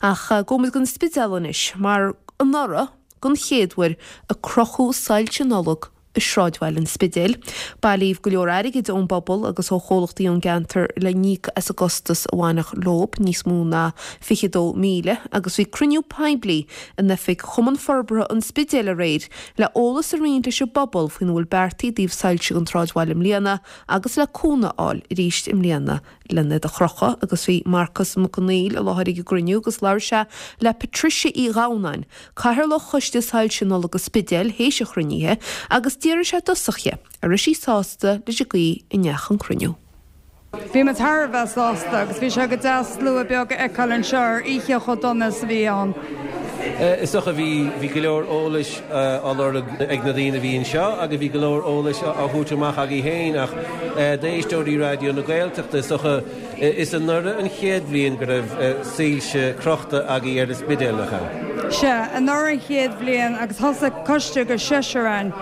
Ach gabhfaidh muid go an Spidéal anois, mar anuraidh, don chéad uair, a crochadh soilse Nollag i sráidbhaile an Spidéil. Bailíodh go leor airgid ón bpobal agus ó chomhlachtaí ón gceantar le n-íoc as an gcostas a bhainfeadh leob, níos mó ná 22,000, agus bhí cruinniú poiblí in oifig Chumann Forbartha an Spidéil aréir le eolas a roinnt leis an bpobal faoina bhfuil beartaithe i dtaobh soilse don tsráidbhaile i mbliana agus le cúnamh a fháil arís i mbliana len iad a chrochadh agus bhí Marcas Mac Conghail i láthair ag an gcruinniú agus labhair sé le Patricia Uí Dhamhnáin, Cathaoirleach Choiste Soilse Nollag an Spidéil théis an chruinnithe agus d'fhiafraigh sé i dtosach dhi an raibh sí sásta leis an gcaoi a ndeachaigh an cruinniú. Bhí muid thar a bheith sásta agus bhí sé go deas slua beag a fheiceáil anseo ar oíche chomh dona is a bhí ann. Is dócha bhí, bhí go leor eolais á lorg ag na daoine a bhí anseo agus bhí go leor eolais á thabhairt amach agaibh féin ach d'éisteoirí Raidió na Gaeltachta is dócha is anuraidh an chéad bhliain go raibh soilse crochta agaibh ar an Spidéal, nach ea? Sea, anuraidh an chéad bhliain agus thosaigh coiste de sheisear againn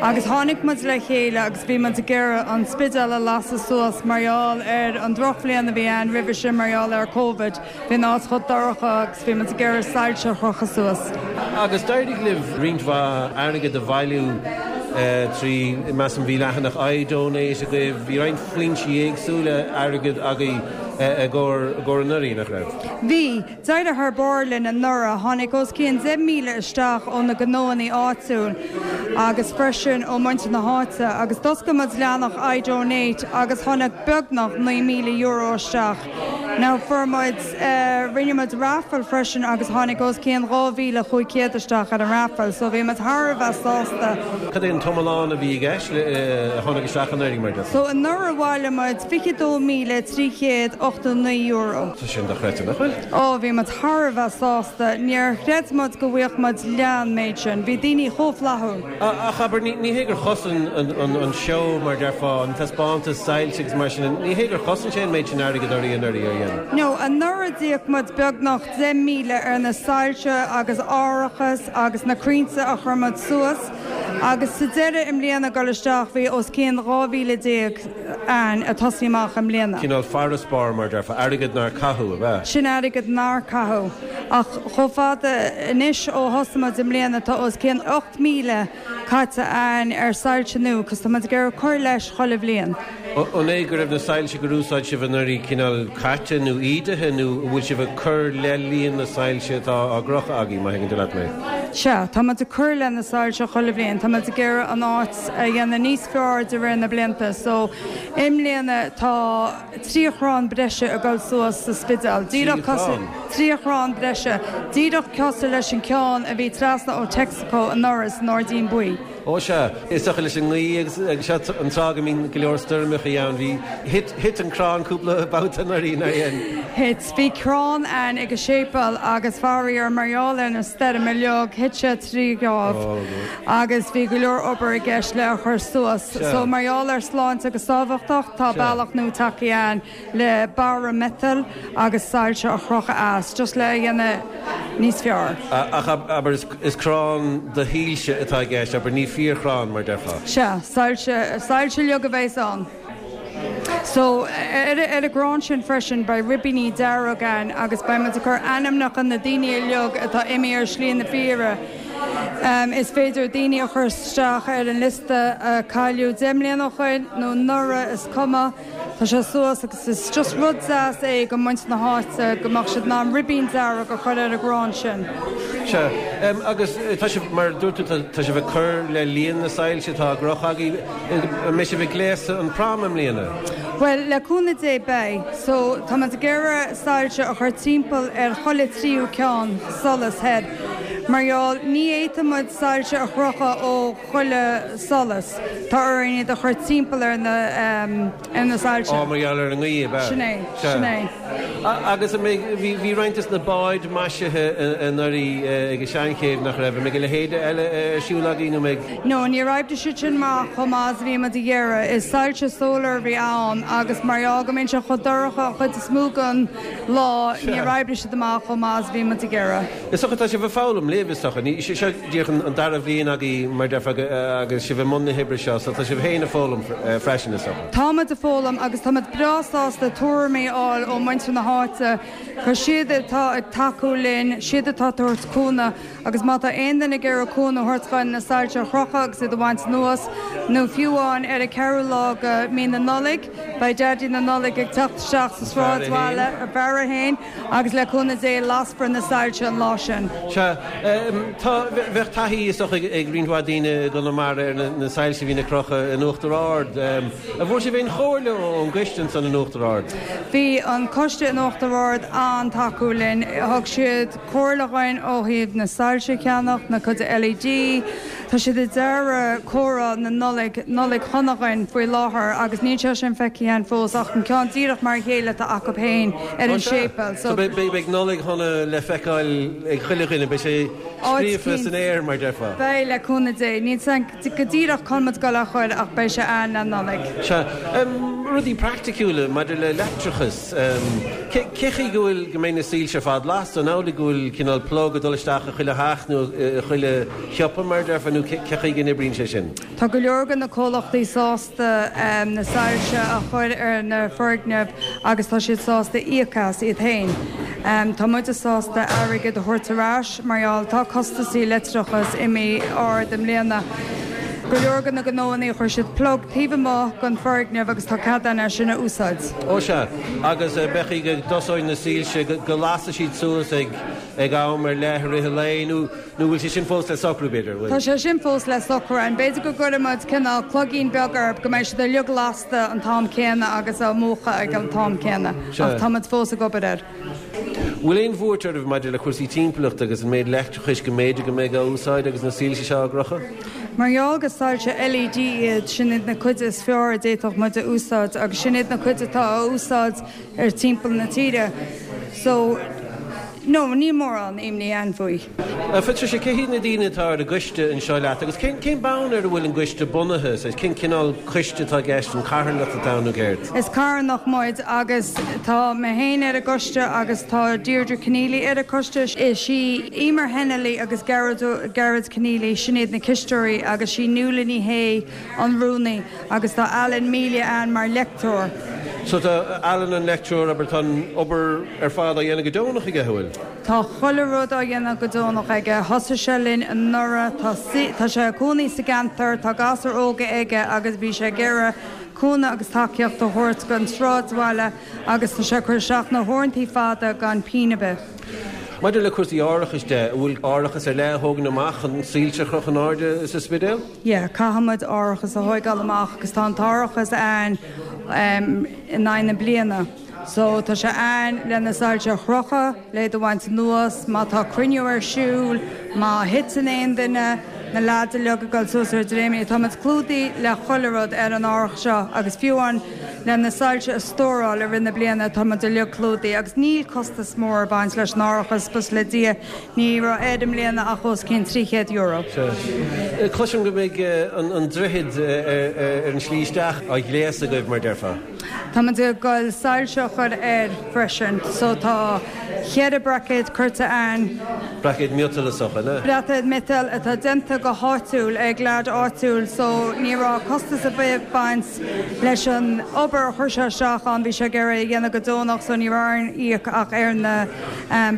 agus tháinig muid le chéile agus bhí muid ag iarraidh an Spidéal a lasadh suas mar gheall ar an drochbhliain a bhí ann roimhe sin mar gheall ar Covid. Bhí an áit chomh dorcha agus bhí muid ag iarraidh soilse a chrochadh suas. Agus d'éirigh libh roinnt mhaith airgid a bhailiú trí, measaim, bhí leathanach iDonate agaibh, bhí roinnt foinsí éagsúla airgid agaibh i gcomhair anuraidh, nach raibh? Bhí. D'éirigh thar barr linn anuraidh. Tháinig os cionn 10,000 isteach ó na gnóannaí áitiúil agus freisin ó muintir na háite agus d'oscail muid leathanach iDonate agus tháinig beagnach €9,000 isteach. Now fuair muid, rinne muid raffle freisin agus tháinig os cionn 2,500 isteach ar an raffle so bhí muid thar a bheith sásta. Cad é an t-iomlán a bhí i gceist le, a tháinig isteach anuraidh mar déarfá? So anuraidh bhailigh muid €22,389. Tá sin dochreidte, nach bhfuil? Ó bhí muid thar a bheith sásta. Níor chreid muid go bhfaigheadh muid leath an méid sin. Bhí daoine chomh flaithiúil. Ach abair, ní hé gur chosain an seó, mar a déarfá, an taispeántas soilse agus mar sin, ní hé gur chosain sé an méid sin airgid oraibh anuraidh, ar dhein? No, anuraidh d'íoc muid beagnach 10,000 ar na soilse agus árachas agus na crainnte a chuir muid suas agus sa deireadh i mbliana ag dul isteach bhí os cionn 12,000 a'ainn ag tosaí amach i mbliana. Cineál farasbarr, mar a déarfá, airgead nár caitheadh, ab ea? Sin airgead nár caitheadh. Ach chomh fada anois ó thosaigh muid i mbliana tá os cionn 8,000 caite a'ainn ar soilse nua 'cause tá muid ag iarraidh cur leis chuile bhliain. An é go raibh na soilse gur úsáid sibh anuraidh cineál caite nó ídithe nó an bhfuil sibh ag cur le líon na soilse atá á gcrochadh agaibh, má thuigeann tú leat mé? Sea, tá muid ag cur le na soilse chuile bhliain. Tá muid ag iarraidh an áit a dhéanamh níos fearr de réir na blianta. So, i mbliana tá. 3 chrann breise ag dul suas sa Spidéal. 3 chrann? 3 chrann breise. Díreach cosúil leis an ceann a bhí trasna ó Texaco anuraidh san Airdín Buí. Ó sea. Is dócha leis an ngaoth agus seo an tráth go mbíonn go leor stoirmeacha ann. Bhí, thit, thit an crann cúpla babhta anuraidh, nár dhein? Thit. Bhí crann ann ag an séipéal agus faraor mar gheall ar na stoirm uilig, thit sé 3 gháibh agus bhí go leor obair i gceist le a chur suas. So mar gheall ar sláinte agus sábháilteacht tá bealach nua tagtha ann le barra miotail agus soilse a chrochadh as, just le a dhéanamh níos fearr. Ach abair is crann de shoilse atá i gceist, abair, ní fíorchrann mar déarfá. Sea, soilse, soilse uilig a bheas ann. So, ar an gcrann sin freisin beidh ribíní dearg ann agus beidh muid ag cur ainmneacha na daoine uilig atá imithe ar shlí na fírinne. Is féidir daoine a chur isteach ar an liosta a cailleadh 10 mbliana ó shoin nó anuraidh, is cuma. Tá sé suas agus is just rud deas é go muintir na háite go mbeadh siad in ann ribín dearg a chur ar an gcrann sin. Sea. Agus tá sibh, mar a dúirt tú, tá sibh ag cur le líon na soilse atá á gcrochadh agaibh. An mbeidh sibh ag gléasadh an prom i mbliana? Bhuel, le cúnamh Dé beidh. So, tá muid ag iarraidh soilse a chur timpeall ar chuile tríú ceann solas thoir. Mar gheall, ní fhéadfaidh muid soilse a chrochadh ó chuile solas. Tá orainn iad a chur timpeall ar na, ar na soilse. Á, mar gheall ar an ngaoth, ab ea? Sin é, sin é. Agus an mbeidh, bhí, bhí roinnt des na báid maisithe anuraidh ag an Seanchéibh, nach raibh? An mbeidh a leithéid eile ar siúl agaibh nó an mbeidh? No, níor oibrigh siad sin amach chomh maith is a bhí muid ag iarraidh. Is soilse solar a bhí ann agus mar gheall go mbíonn sé chomh dorcha an chuid is mó den lá, níor oibrigh siad amach chomh maith is a bhí muid ag iarraidh. Is dócha tá sibh ag foghlaim. libh, is dócha. Ní, seo díreach an dara bhliain agaibh, mar déarfá, agus sibh i mbun na hoibre seo, so tá sibh féin ag foghlaim freisin, is dócha. Tá muid ag foghlaim agus tá muid breá sásta tuairimí a fháil ó mhuintir na háite, gur siad atá ag tacú linn, siad atá ag tabhairt cúnamh agus má tá aon duine ag iarraidh cúnamh a thabhairt dhúinn na soilse a chrochadh agus iad a bhaint anuas, nó fiú amháin ar an ceathrú lá de mí na Nollag, beidh Daidí na Nollag ag teacht isteach sa sráidbhaile, a bhfear é féin, agus le cúnamh Dé lasfar na soilse an lá sin. Sea, tá, bheadh taithí is dócha ag roinnt mhaith daoine i gConamara ar na soilse a bhíonn á gcrochadh in Uachtar Ard. An bhfuair sibh aon chomhairle ón gcoiste ansan in Uachtar Ard? Bhí an coiste in Uachtar Ard an-tacúil linn. Thug siad comhairle dhúinn ó thaobh na soilse a cheannach, na cuid LED. Tá siad ag dearadh comhartha na Nollag, Nollaig Shona dhúinn faoi láthair agus níl sé sin feicthe againn fós ach an ceann díreach mar a chéile atá acu féin ar an séipéal. So beidh Nollaig Shona le feiceáil ag chuile dhuine, beidh sé scríofa san aer mar déarfá. Beidh, le cúnamh Dé. Níl 's a'm go díreach cá bhfuil muid ag dul á chur ach beidh sé ann le Nollaig. Sea. Rudaí praiticiúla maidir le leictreachas. Cé chaoi go bhfuil, go mbeidh na soilse ar fad lasta? An amhlaidh go bhfuil cineál plug ag dul isteach i chuile theach nó i chuile shiopa mar a déarfá nó cé chaoi go n-oibríonn sé sin? Tá go leor de na comhlachtaí sásta na soilse a chur ar na foirgnimh agus tá siad sásta íoc as iad féin. Tá muide sásta airgead a thabhairt ar ais mar gheall tá costasaí leictreachais imithe ard i mbliana. Go leor de na gnóannaí chuir siad plug taobh amuigh den foirgneamh agus tá cead againn é sin a úsáid. Ó sea, agus b'é chaoi go dtosóidh na soilse go lasfaidh siad suas ag ag am ar leith i rith an lae nó nó bhfuil sé sin fós le socrú, b'fhéidir, bhfuil? Tá sé sin fós le socrú. An b'fhéidir go gcuirfidh muid cineál cloigín beag orthu go mbeidh siad uilig lasta an t-am céanna agus á múchadh ag an t-am céanna. Ach tá muid fós ag obair air. Bhfuil aon bhuairt oraibh maidir le cúrsaí timpeallachta agus an méid leictreachais go mb'fhéidir go mbeidh á úsáid agus na soilse seo á gcrochadh? Mar gheall gur soilse LED iad, sin iad na cuid is fearr a d'fhéadfadh muid a úsáid agus sin iad na cuid atá á úsáid ar timpeall na tíre. So, no, níl mórán imní a'inn faoi. A Phatricia, cé hiad na daoine atá ar an gcoiste anseo leat agus cén cén bonn ar a bhfuil an gcoiste bunaithe? Saghas, cén cineál coiste atá i gceist, an carthanacht atá ann nó céard? Is carthanacht muid agus tá mé féin ar an gcoiste agus tá Deirdre Conneely ar an gcoiste. Is í Emer Hennelly agus Gearóid Gearóid Conneely, sin iad na cisteoirí agus sí Nuala Ní Shé an rúnaí agus tá Alan Melia ann mar leictreoir. So tá Alan an leictreoir, abair, tá an obair ar fad á dhéanamh go deonach aige, an bhfuil? Tá chuile rud á dhéanamh go deonach aige. Thosaigh sé linn anuraidh, tá tá sé ina chónaí sa gceantar, tá gasúir óga aige agus bhí sé ag iarraidh cúnamh agus tacaíocht a thabhairt don sráidbhaile agus tá sé ag cur isteach na huaireantaí fada gan pingin ar bith. Maidir le cúrsaí árachais de, an bhfuil árachas ar leith a thógaint amach chun soilse a chrochadh in airde sa Spidéal? Yeah, caithfidh muid árachas a thóigeáil amach agus tá an t-árachas ann in aghaidh na bliana. So tá sé ann le na soilse a chrochadh, le iad a bhaint anuas, má tá cruinniú ar siúl, má thiteann aon duine, na leaids uilig ag dul suas ar dréimire. Tá muid clúdaithe le chuile rud ar an árachas seo agus fiú amháin le na soilse a stóráil i rith na bliana tá muid uilig clúdaithe agus níl costas mór ag baint leis an árachas, buíochas le Dia. Ní raibh air i mbliana ach os cionn €300. Sea. Cloisim go mbeidh an droichead ar an slí isteach á ghléasadh agaibh, mar déarfá. Tá muid ag goil soilse a chur air freisin. So tá cheithre braicéad curtha ann. Braicéid miotail is dócha, an ea? Braicéad miotail atá déanta go háitiúil ag leaid áitiúil so ní raibh costas ar bith ag baint leis an obair a chuir sé isteach ann. Bhí sé ag iarraidh é a dhéanamh go deonach so ní raibh orainn íoc ach ar na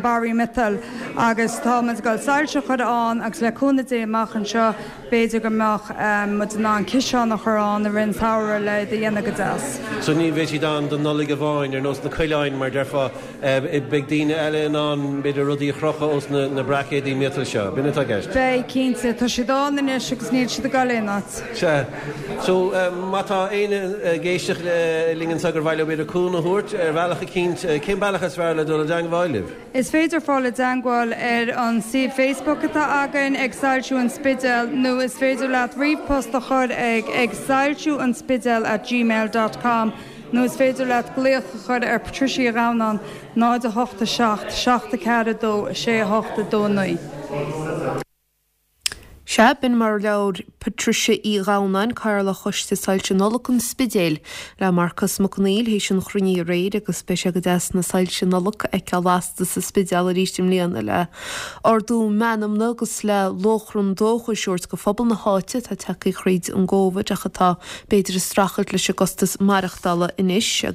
barraí miotail agus tá muid ag dul soilse a chur ann agus le cúnamh Dé amach anseo b'fhéidir go mbeadh muid in ann ciseán a chur ann i rith an tsamhraidh le iad a dhéanamh go deas. So ní bheidh siad ann don Nollaig amháin, ar nós na coileáin mar déarfá, beidh daoine eile in ann b'fhéidir rudaí a chrochadh ós na braicéidí miotail seo. B'in atá i gceist? Beidh, cinnte. Tá siad ann anois agus níl siad ag dul aon áit. Sea. So, má tá éinne ag éisteacht linn anseo gur mhaith leo b'fhéidir cúnamh a thabhairt ar bhealach eicínt, cén bealach is fearr le dul i dteangmháil libh? Is féidir fáil i dteangmháil ar an suíomh Facebook atá againn ag Soilsiú an Spidéil nó is féidir leat ríomhpost a chur ag ag soilsiúanspidéal at gmail dot com nó is féidir leat glaoch a chur ar Patricia Uí Dhamhnáin 0 8 7 7 4 2 6 8 2 9. Sea, b'in mar a labhair Patricia Uí Dhamhnáin, Cathaoirleach Choiste Soilse Nollag an Spidéil, le Marcas Mac Conghail théis an chruinnithe aréir agus beidh sé go deas na soilse Nollag a fheiceáil lasta sa Spidéal arís i mbliana le ardú meanmna agus le lóchrann dóchais a thabhairt go phobal na háite atá tagtha thríd an gCóvid ach atá b'fhéidir ag streachailt leis an gcostas maireachtála anois.